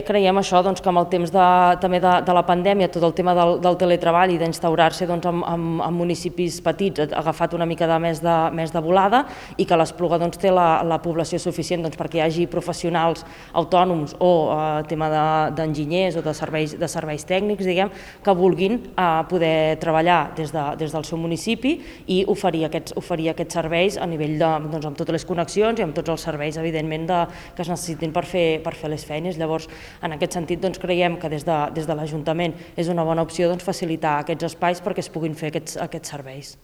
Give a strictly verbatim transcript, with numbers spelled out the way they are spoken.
Creiem això, doncs, que amb el temps de, també de, de la pandèmia, tot el tema del, del teletreball i d'instaurar-se doncs, en, en, en municipis petits ha agafat una mica de més de, més de volada i que l'Espluga doncs, té la, la població suficient doncs, perquè hi hagi professionals autònoms o eh, tema d'enginyers de, o de serveis, de serveis tècnics, diguem, que vulguin eh, poder treballar des, de, des del seu municipi i oferir aquests, oferir aquests serveis a nivell de, doncs, amb totes les connexions i amb tots els serveis, evidentment, de, que es necessitin per fer, per fer les feines. Llavors, en aquest sentit, doncs, creiem que des de, des de l'Ajuntament és una bona opció doncs, facilitar aquests espais perquè es puguin fer aquests, aquests serveis.